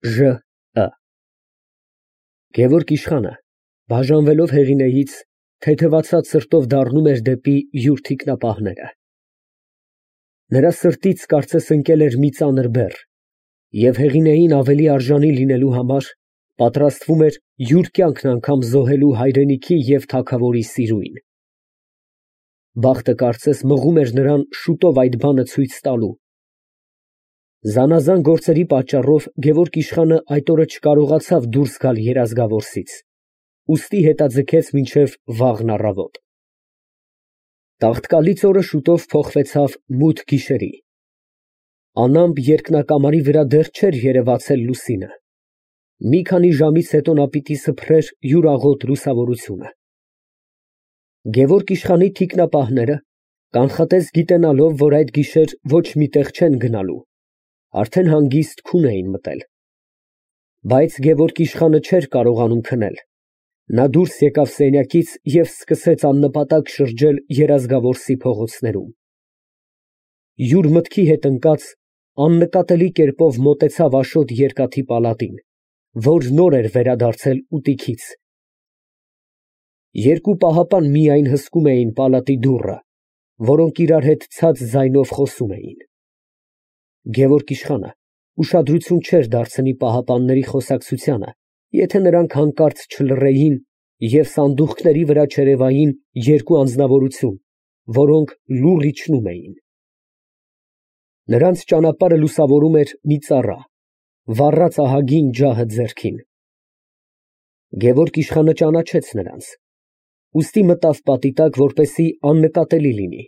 Ժ. Գևորգ իշխանը, բաժանվելով Հեղինեից, թեթևացած սրտով դառնում էր դեպի յուր թիկնապահները. նրա սրտից կարծես ընկել էր մի ծանր բեռ, և Հեղինեին ավելի արժանի լինելու համար պատրաստվում էր յուր կյանքն անգամ զոհելու հայրենիքի և թագավորի սիրուին։ Բախտը կարծես մղում էր նրան շուտով այդ բանը ցույց տալու։ Զանազան գործերի պատճառով Գևորգ իշխանը այդ օրը չկարողացավ դուրս գալ երազգավորսից, ուստի հետաձգեց մինչև վաղն առավոտ։ Տաղտկալից օրը շուտով փոխվեցավ մութ գիշերի։ Անամպ երկնակամարի վրա դեռ չէր երևացել լուսինը։ Մի քանի ժամից հետո նա պիտի սփռեր յուրաղոտ լուսավորությունը։ Գևորգ իշխանի թիկնապահները, կանխատես գիտենալով, որ այդ գիշեր ոչ մի տեղ չեն գնալու, արդեն հանգիստ քուն էին մտել։ Բայց Գևորգ իշխանը չէր կարողանում քնել։ Նա դուրս եկավ սենյակից և սկսեց աննպատակ շրջել Երազգավորսի փողոցներում։ Յուր մտքի հետ ընկած, աննկատելի կերպով մոտեցավ Աշոտ երկաթի պալատին, որ նոր էր վերադարձել ուտիքից։ Երկու պահապան միայն հսկում էին պալատի դուռը, որոնք իրար հետ ցած ձայնով խոսում էին։ Գևորգ իշխանը ուշադրություն չէր դարձնի պահապանների խոսակցությանը, եթե նրանք հանկարծ չլռեին և սանդուղքների վրա չերևային երկու անձնավորություն, որոնք լուռ իջնում էին։ Նրանց ճանապարհը լուսավորում էր մի ծառա, վառած ահագին ջահը ձեռքին։ Գևորգ իշխանը ճանաչեց նրանց, ուստի մտավ պատի տակ, որպեսզի աննկատելի լինի։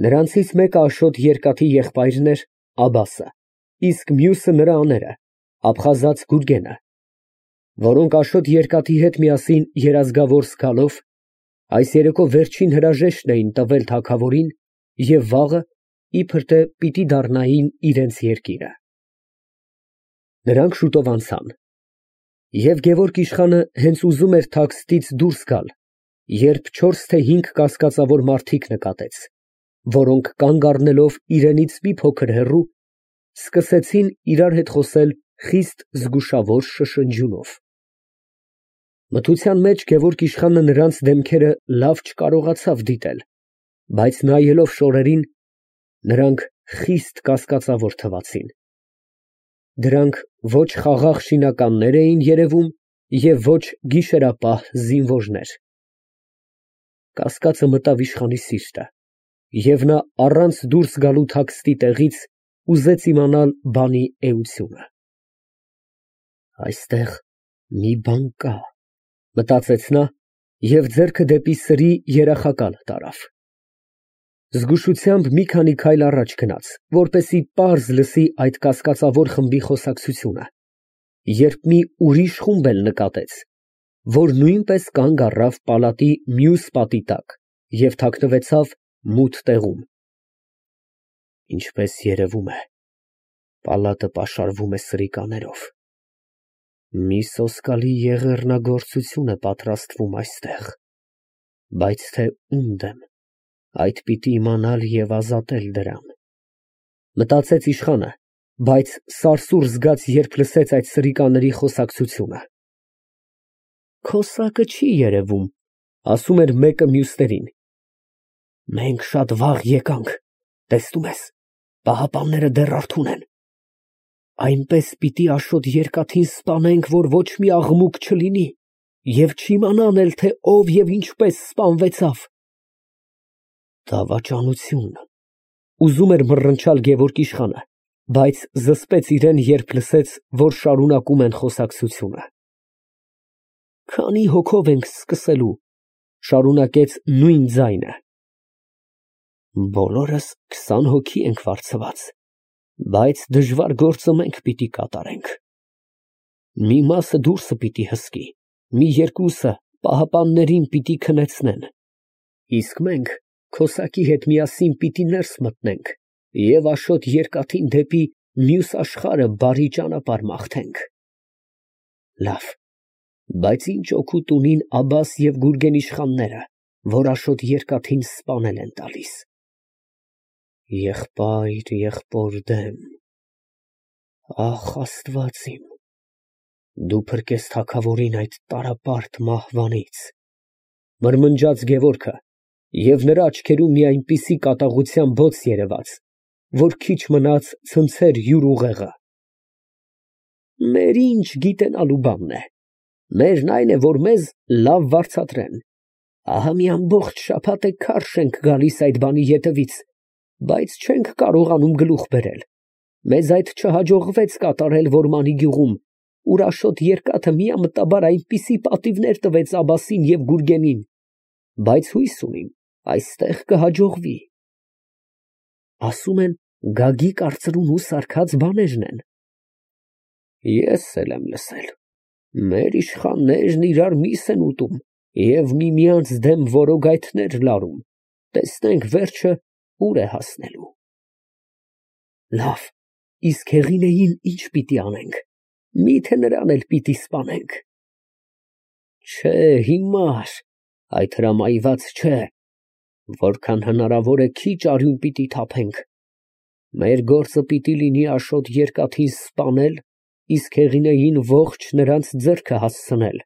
Նրանցից մեկը Աշոտ երկաթի եղբայրն էր Աբասը, իսկ մյուսը նրա աները, Աբխազած Գուրգենը, որոնք Աշոտ երկաթի հետ միասին Երազգավորս գալով, այս երեկո վերջին հրաժեշտն էին տվել թագավորին և վաղը իբր թե պիտի դառնային իրենց երկիրը։ Նրանք շուտով անցան։ Եվ Գևորգ իշխանը հենց ուզում էր թաքստից դուրս գալ, երբ 4 թե 5 կասկածավոր մարդիկ նկատեց, որոնք կանգ առնելով իրենից մի փոքր հեռու, սկսեցին իրար հետ խոսել խիստ զգուշավոր շշնջյունով։ Մթության մեջ Գևորգ իշխանը նրանց դեմքերը լավ չկարողացավ դիտել, բայց նայելով շորերին, նրանք խիստ կասկածավոր թվացին։ Դրանք ոչ խաղաղ շինականներ էին երևում և ոչ գիշերապահ զինվորներ։ Կասկածը մտավ իշխանի սիրտը, և նա առանց դուրս գալու թաքստի տեղից ուզեց իմանալ բանի էությունը։ Այստեղ մի բան կա, մտածեց նա և ձեռքը դեպի սրի երախակալ տարավ։ Զգուշությամբ մի քանի քայլ առաջ գնաց, որպեսզի պարզ լսի այդ կասկածավոր խմբի խոսակցությունը, երբ մի ուրիշ խումբ էլ նկատեց, որ նույնպես կանգ առավ պալատի մյուս պատի տակ և թաքնվեցավ մութ տեղում։ Ինչպես երևում է, պալատը պաշարվում է սրիկաներով։ Մի սոսկալի եղեռնագործություն է պատրաստվում այստեղ, բայց թե ում դեմ, այդ պիտի իմանալ և ազատել դրան, մտածեց իշխանը, բայց սարսուռ զգաց, երբ լսեց այդ սրիկաների խոսակցությունը։ Քո սակը չի երևում, ասում էր մեկը մյուսներին։ Մենք շատ վաղ եկանք, տեսնում ես, պահապանները դեռ արթուն են։ Այնպես պիտի Աշոտ երկաթին սպանենք, որ ոչ մի աղմուկ չլինի և չիմանան էլ, թե ով և ինչպես սպանվեցավ։ Դավաճանություն, ուզում էր մռնչալ Գևորգ իշխանը, բայց զսպեց իրեն, երբ լսեց, որ շարունակում են խոսակցությունը։ Քանի հոգով ենք սկսելու, շարունակեց նույն ձայնը։ Բոլորս 20 հոգի ենք վարձված, բայց դժվար գործը մենք պիտի կատարենք։ Մի մասը դուրսը պիտի հսկի, մի երկուսը պահապաններին պիտի քնեցնեն, իսկ մենք քո սակի հետ միասին պիտի ներս մտնենք և Աշոտ երկաթին դեպի մյուս աշխարհը բարի ճանապարհ մաղթենք։ Լավ, բայց ինչ օգուտ ունին Աբբաս և Գուրգեն իշխանները, որ Աշոտ երկաթին սպանել են տալիս։ Եղբայր եղբոր դեմ, Ախ, Աստված իմ, դու փրկես թագավորին այդ տարապարտ մահվանից, մրմնջաց Գևորգը, և նրա աչքերում մի այնպիսի կատաղության բոց երևաց, որ քիչ մնաց ցնցեր յուր ուղեղը։ Մեր ինչ գիտենալու բանն է, մերն այն է, որ մեզ լավ վարձատրեն, ահա մի ամբողջ շաբաթ է քարշ ենք գալիս այդ բանի ետևից, բայց չենք կարողանում գլուխ բերել, մեզ այդ չհաջողվեց կատարել Որմանի գյուղում, ուր Աշոտ Երկաթը միամտաբար այնպիսի պատիվներ տվեց Աբասին և Գուրգենին, բայց հույս ունիմ, այստեղ կհաջողվի։ Ասում են, Գագիկ արծրունու սարքած բաներն են։ Ես էլ եմ լսել, մեր իշխաններն իրար միս են ուտում և միմյանց դեմ որոգայթներ լարում, տեսնենք վերջը ուր է հասնելու։ Լավ, իսկ Հեղինեին ինչ պիտի անենք, միթե նրան էլ պիտի սպանենք։ Չէ, հիմար, այդ հրամայված չէ, որքան հնարավոր է քիչ արյուն պիտի թափենք, մեր գործը պիտի լինի Աշոտ Երկաթին սպանել, իսկ Հեղինեին ողջ նրանց ձեռքը հասցնել,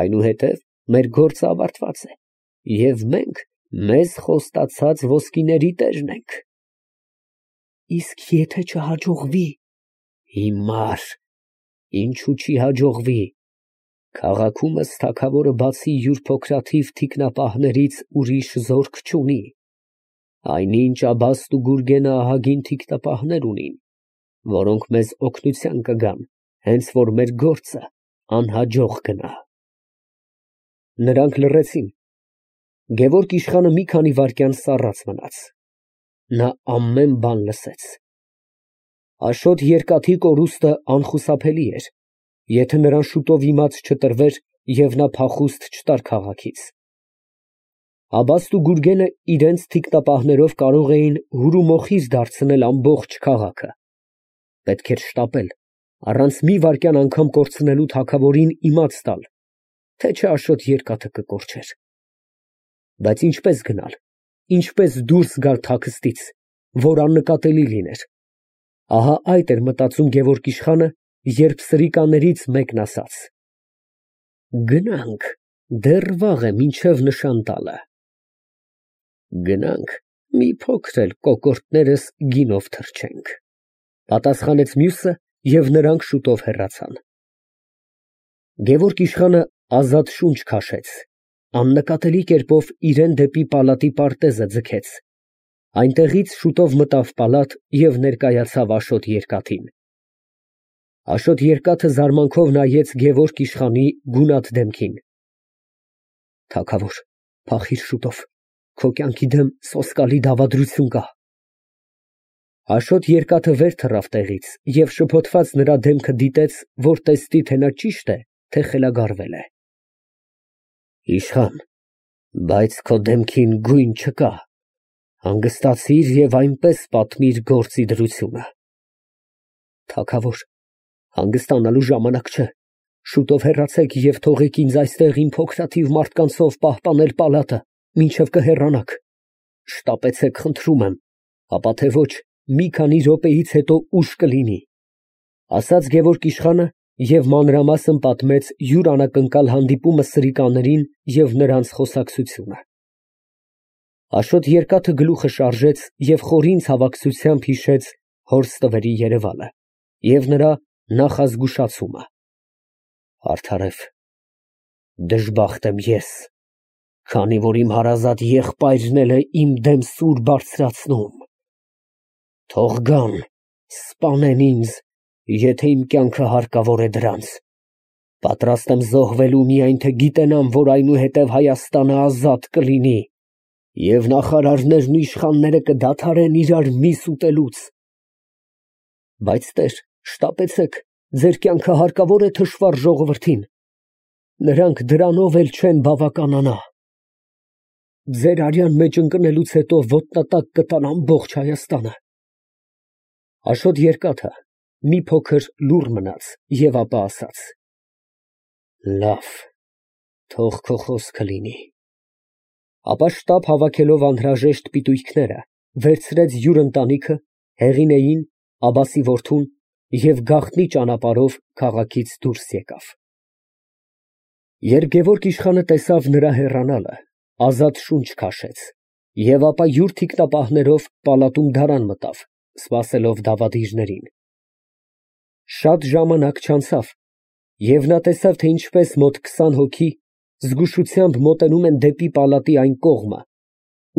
այնուհետև մեր գործը ավարտված է, և մենք մեզ խոստացած ոսկիների տերն ենք։ Իսկ եթե չհաջողվի։ Հիմար, ինչու չի հաջողվի, քաղաքում ըստ թագավորը բացի յուր փոքրաթիվ թիկնապահներից ուրիշ զորք չունի, այնինչ Աբաստ ու Գուրգենը ահագին թիկնապահներ ունին, որոնք մեզ օգնության կգան, հենց որ մեր գործը անհաջող գնա։ Նրանք լռեցին։ Գևորգ իշխանը մի քանի վայրկյան սառած մնաց։ Նա ամեն բան լսեց։ Աշոտ Երկաթի կորուստը անխուսափելի էր, եթե նրան շուտով իմաց չտրվեր և նա փախուստ չտար քաղաքից։ Աբաստ ու Գուրգենը իրենց թիկնապահներով կարող էին հուրումոխիր դարձնել ամբողջ քաղաքը։ Պետք էր շտապել, առանց մի վայրկյան անգամ կորցնելու թագավորին իմաց տալ, թե չէ Աշոտ Երկաթը կկորչեր։ Բայց ինչպես գնալ, ինչպես դուրս գալ թաքստից, որ աննկատելի լիներ։ Ահա այդ էր մտածում Գևորգ իշխանը, երբ սրիկաներից մեկն ասաց. Գնանք, դեռ վաղ է մինչև նշան տալը։ Գնանք, մի փոքր էլ կոկորդներս գինով թրջենք, պատասխանեց մյուսը, և նրանք շուտով հեռացան։ Գևորգ իշխանը ազատ շունչ քաշեց, աննկատելի կերպով իրան դեպի պալատի պարտեզը ձգեց, այնտեղից շուտով մտավ պալատ և ներկայացավ Աշոտ Երկաթին։ Աշոտ Երկաթը զարմանքով նայեց Գևորգ իշխանի գունատ դեմքին։ Թագավոր, փախիր շուտով, քո կյանքի դեմ սոսկալի դավադրություն կա։ Աշոտ Երկաթը վեր թռավ տեղից և շփոթված նրա դեմքը դիտեց, որ տեսնի, թե նա ճիշտ է, թե խելագարվել է։ Իշխան, բայց քո դեմքին գույն չկա, հանգստացիր և այնպես պատմիր գործի դրությունը։ Թագավոր, հանգստանալու ժամանակ չէ, շուտով հեռացեք և թողեք ինձ այստեղ իմ փոքրաթիվ մարդկանցով պահպանել պալատը, մինչև կհեռանաք։ Շտապեցեք, խնդրում եմ, ապա թե ոչ, մի քանի րոպեից հետո ուշ կլինի, ասաց Գևորգ իշխանը և մանրամասն պատմեց յուր անակնկալ հանդիպումը սրիկաներին և նրանց խոսակցությունը։ Աշոտ Երկաթը գլուխը շարժեց և խորին ցավակցությամբ հիշեց հոր ստվերի երևալը և նրա նախազգուշացումը։ Արդարև, դժբախտ եմ ես, քանի որ իմ հարազատ եղբայրն էլ է իմ դեմ սուր բարձրացնում։ Թող գան, սպանեն ինձ, եթե իմ կյանքը հարկավոր է դրանց։ Պատրաստ եմ զոհվելու միայն թե գիտենամ, որ այնուհետև Հայաստանը ազատ կլինի, և նախարարներն ու իշխանները կդադարեն իրար միս ուտելուց։ Բայց տեր, շտապեցեք, ձեր կյանքը հարկավոր է թշվառ ժողովրդին, նրանք դրանով էլ չեն բավականանա։ Ձեր արյան մեջ ընկնելուց հետո ոտնատակ կտան ամբողջ Հայաստանը։ Աշոտ Երկաթը մի փոքր լուռ մնաց և ապա ասաց. Լավ, թող քո խոսքը լինի։ Ապա շտապ հավաքելով անհրաժեշտ պիտույքները, վերցրեց յուր ընտանիքը, Հեղինեին, Աբասի որդուն և գաղտնի ճանապարհով քաղաքից դուրս եկավ։ Երբ Գևորգ իշխանը տեսավ նրա հեռանալը, ազատ շունչ քաշեց և ապա յուր թիկնապահներով պալատում դարան մտավ, սպասելով դավադիրներին։ Շատ ժամանակ չանցավ, և նա տեսավ, թե ինչպես մոտ 20 հոգի զգուշությամբ մոտենում են դեպի պալատի այն կողմը,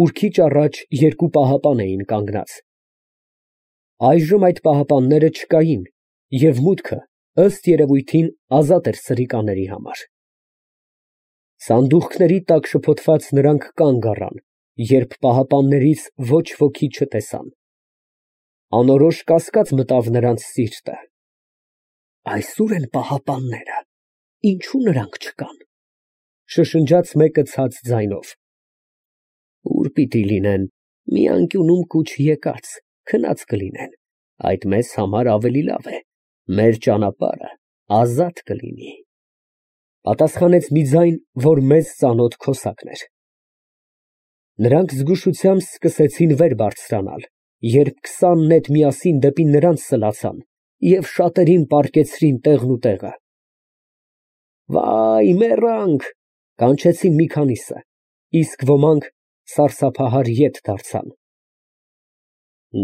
ուր քիչ առաջ երկու պահապան էին կանգնած։ Այժմ այդ պահապանները չկային, և մուտքը, ըստ երևույթին, ազատ էր սրիկաների համար։ Սանդուղքների տակ շփոթված նրանք կանգ առան, երբ պահապաններից ոչ ոքի չտեսան։ Անորոշ կասկած մտավ նրանց սիրտը. «Այսօր են պահապանները, ինչո՞ւ նրանք չկան», շշնջաց մեկը ցած ձայնով։ «Ուր պիտի լինեն, մի անկյունում կուչ եկած, քնած կլինեն, այդ մեզ համար ավելի լավ է, մեր ճանապարհը ազատ կլինի», պատասխանեց մի ձայն, որ մեզ ծանոթ քոսակն էր։ Նրանք զգուշությամբ սկսեցին վեր բարձրանալ, երբ 20 նետ միասին դեպի նրանց սլացան և շատերին պառկեցրին տեղն ու տեղը։ «Վայ, մեռանք», կանչեցին մի քանիսը, իսկ ոմանք սարսափահար ետ դարձան։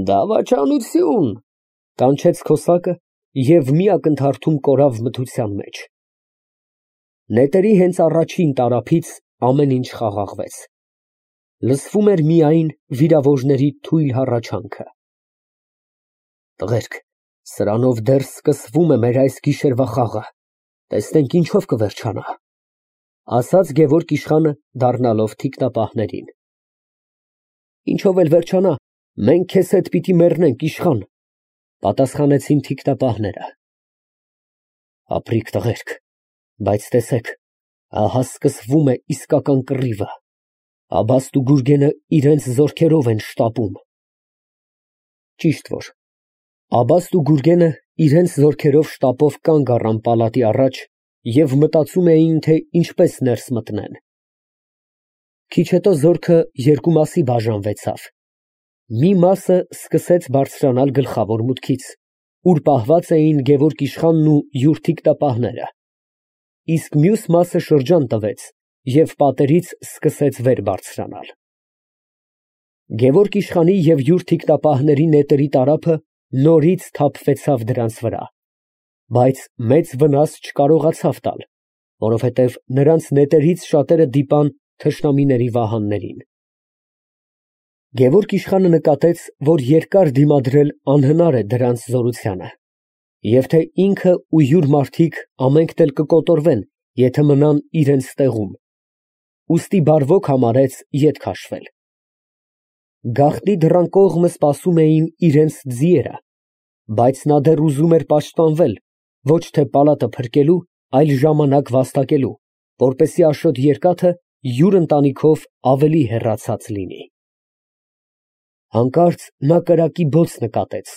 «Դավաճանություն», կանչեց քոսակը և մի ակնթարթում կորավ մթության մեջ։ Նետերի հենց առաջին տարափից ամեն ինչ խաղաղվեց։ Լսվում էր միայն վիրավորների թույլ հառաչանքը։ «Տղերք, սրանով դեռ սկսվում է մեր այս գիշերվա խաղը, տեսնենք ինչով կվերջանա», ասաց Գևորգ իշխանը, դառնալով թիկնապահներին։ «Ինչով էլ վերջանա, մենք քեզ հետ պիտի մեռնենք, իշխան», պատասխանեցին թիկնապահները։ «Ապրիք, տղերք, բայց տեսեք, ահա սկսվում է իսկական կռիվը, Աբաստ ու Գուրգենը իրենց զորքերով են շտապում»։ Ճիշտ որ Աբաստ ու Գուրգենը իրենց զորքերով շտապով կանգ առան պալատի առաջ և մտածում էին, թե ինչպես ներս մտնեն։ Քիչ հետո զորքը երկու մասի բաժանվեցավ։ Մի մասը սկսեց բարձրանալ գլխավոր մուտքից, ուր պահված էին Գևորգ իշխանն ու յուր թիկնապահները, իսկ մյուս մասը շրջան տվեց և պատերից սկսեց վեր բարձրանալ։ Գևորգ իշխանի և յուր թիկնապահների նետերի տարափը նորից թափվեցավ դրանց վրա, բայց մեծ վնաս չկարողացավ տալ, որովհետև նրանց նետերից շատերը դիպան թշնամիների վահաններին։ Գևորգ իշխանը նկատեց, որ երկար դիմադրել անհնար է դրանց զորությանը, և թե ինքը ու յուր մարդիկ ամենքն էլ կկոտորվեն, եթե մնան իրենց տեղում, ուստի բարվոք համարեց ետ քաշվել։ Գաղտնի դռան կողմը սպասում էին իրենց ձիերը, բայց նա դեռ ուզում էր պաշտպանվել, ոչ թե պալատը փրկելու, այլ ժամանակ վաստակելու, որպեսզի Աշոտ Երկաթը յուր ընտանիքով ավելի հեռացած լինի։ Հանկարծ նա կրակի բոց նկատեց,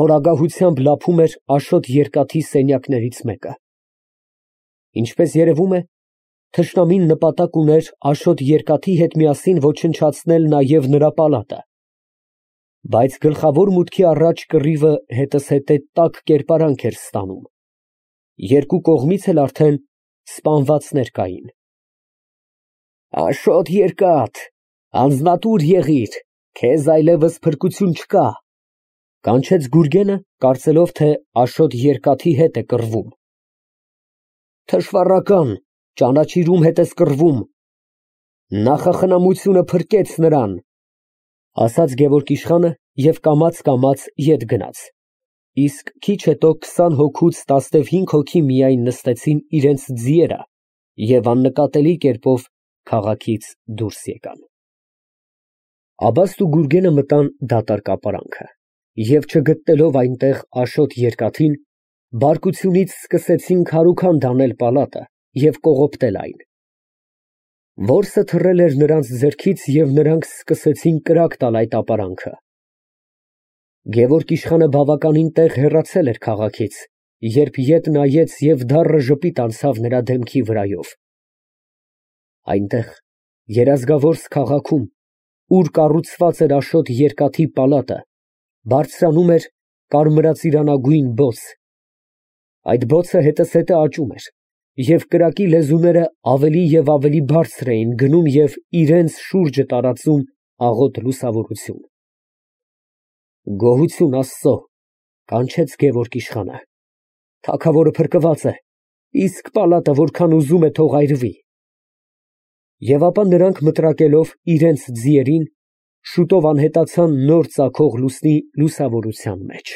որ ագահությամբ լափում էր Աշոտ Երկաթի սենյակներից մեկը։ Ինչպես երևում է, թշնամին նպատակ ուներ Աշոտ Երկաթի հետ միասին ոչնչացնել նաև նրա պալատը, բայց գլխավոր մուտքի առաջ կռիվը հետզհետե տաք կերպարանք էր ստանում, երկու կողմից էլ արդեն սպանվածներ կային։ «Աշոտ Երկաթ, անձնատուր եղիր, քեզ այլևս փրկություն չկա», կանչեց Գուրգենը, կարծելով, թե Աշոտ Երկաթի հետ է կռվում։ «Թշվառական, ճանաչիր ում հետ ես կռվում, նախախնամությունը փրկեց նրան», ասաց Գևորգ իշխանը և կամաց ետ գնաց, իսկ քիչ հետո 20 հոգուց 15 հոգի միայն նստեցին իրենց ձիերը և աննկատելի կերպով քաղաքից դուրս եկան։ Աբաստ ու Գուրգենը մտան դատարկապարանքը և չգտնելով այնտեղ Աշոտ Երկաթին, բարկությունից սկսեցին քարուքանդ անել պալատը և կողոպտել այն։ Որսը թռել էր նրանց ձեռքից և նրանք սկսեցին կրակ տալ այդ ապարանքը։ Գևորգ իշխանը բավականին տեղ հեռացել էր քաղաքից, երբ ետ նայեց և դառը ժպիտ անցավ նրա դեմքի վրայով։ Այնտեղ, Երազգավորս քաղաքում, ուր կառուցված էր Աշոտ Երկաթի պալատը, բարձրանում էր կարմրածիրանագույն բոց։ Այդ բոցը հետզհետե աճում էր, և կրակի լեզուները ավելի և ավելի բարձր էին գնում և իրանց շուրջը տարածում աղոտ լուսավորություն։ «Գոհություն Աստծո», ֊ կանչեց Գևորգ իշխանը, «թագավորը փրկված է, իսկ պալատը որքան ուզում է թող այրվի»։ Եվ ապա նրանք մտրակելով իրանց ձիերին, շուտով անհետացան նոր ծագող լուսնի լուսավորության մեջ։